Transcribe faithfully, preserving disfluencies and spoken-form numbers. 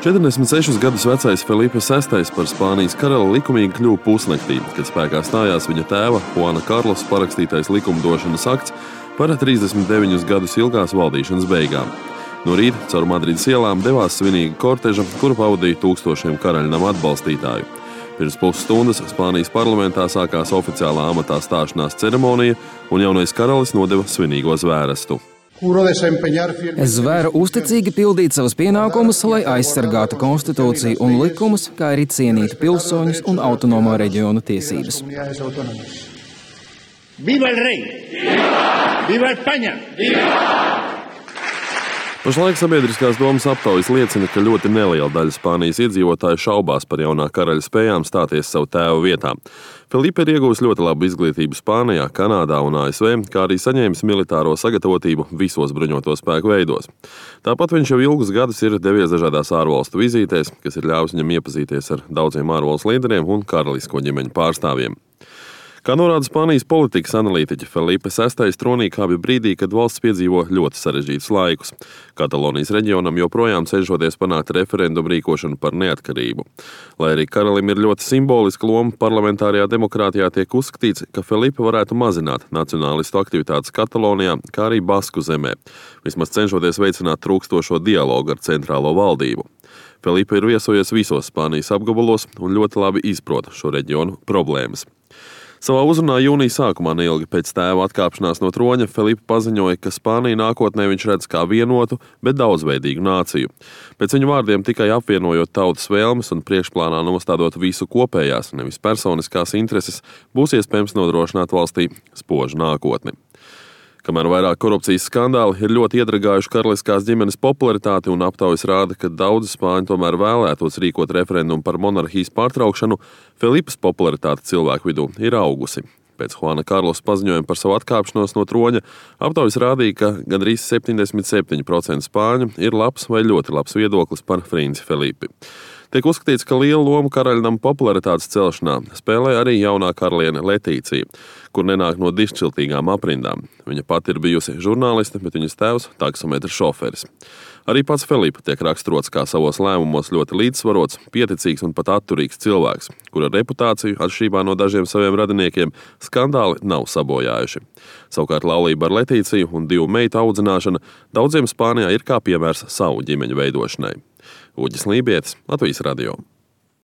četrdesmit sešus gadus vecais Felipe sestais par Spānijas karali likumīgi kļuva pusnaktī, kad spēkā stājās viņa tēva Juana Karlosa parakstītais likumdošanas akts par trīsdesmit deviņus gadus ilgās valdīšanas beigām. No rīta caur Madrides ielām devās svinīga korteža, kuru pavadīja tūkstošiem karaļnama atbalstītāju. Pirms pusstundas Spānijas parlamentā sākās oficiālā amatā stāšanās ceremonija, un jaunais karalis nodeva svinīgo zvērestu. Es zvēru uzticīgi pildīt savus pienākumus, lai aizsargātu konstitūciju un likumus, kā arī cienītu pilsoņus un autonomo reģionu tiesības. Viva el rey! Viva! Viva España! Viva! Pašlaik sabiedriskās domas aptaujas liecina, ka ļoti neliela daļa Spānijas iedzīvotāju šaubās par jaunā karaļa spējām stāties savu tēvu vietā. Felipe ir iegūs ļoti labu izglītību Spānijā, Kanādā un A S V, kā arī saņēmis militāro sagatavotību visos bruņoto spēku veidos. Tāpat viņš jau ilgus gadus ir devies dažādās ārvalstu vizītēs, kas ir ļāvis viņam iepazīties ar daudziem ārvalstu līderiem un karalisko ģimeņu pārstāvjiem. Kā norāda Spānijas politikas analītiķi, Felipe sestais tronī kāpja brīdī, kad valsts piedzīvo ļoti sarežģītus laikus. Katalonijas reģionam joprojām cenšoties panākt referendumu rīkošanu par neatkarību. Lai arī karalim ir ļoti simboliska loma parlamentārajā demokrātijā, tiek uzskatīts, ka Felipe varētu mazināt nacionālistu aktivitātes Katalonijā, kā arī Basku zemē, vismaz cenšoties veicināt trūkstošo dialogu ar centrālo valdību. Felipe ir viesojies visos Spānijas apgabalos un ļoti labi izprot šo reģionu problēmas. Savā uzrunā jūnija sākumā neilgi pēc tēva atkāpšanās no troņa Felipe paziņoja, ka Spāniju nākotnē viņš redz kā vienotu, bet daudzveidīgu nāciju. Pēc viņa vārdiem tikai apvienojot tautas vēlmes un priekšplānā nostādot visu kopējās, nevis personiskās intereses, būs iespējams nodrošināt valstī spožu nākotni. Kamēr vairāk korupcijas skandāli ir ļoti iedragājuši karaliskās ģimenes popularitāti un aptaujas rāda, ka daudzi spāņi tomēr vēlētos rīkot referendumu par monarhijas pārtraukšanu, Felipes popularitāte cilvēku vidū ir augusi. Pēc Juana Karlosa paziņojuma par savu atkāpšanos no troņa aptaujas rādīja, ka gandrīz septiņdesmit septiņi procenti spāņu ir labs vai ļoti labs viedoklis par princi Felipi. Tiek uzskatīts, ka lielu lomu karaļnama popularitātes celšanā spēlē arī jaunā karaliene Letīcija, kur nenāk no dišķiltīgām aprindām. Viņa pati ir bijusi žurnāliste, bet viņas tēvs taksometra šoferis. Arī pats Felipe tiek raksturots kā savos lēmumos ļoti līdzsvarots, pieticīgs un pat atturīgs cilvēks, kura reputāciju, atšķirībā no dažiem saviem radiniekiem, skandāli nav sabojājuši. Savukārt laulība ar Letīciju un divu meitu audzināšana daudziem Spānijā ir kā piemērs savu ģimeņu veidošanai. Uģis Lībietis, Latvijas radio.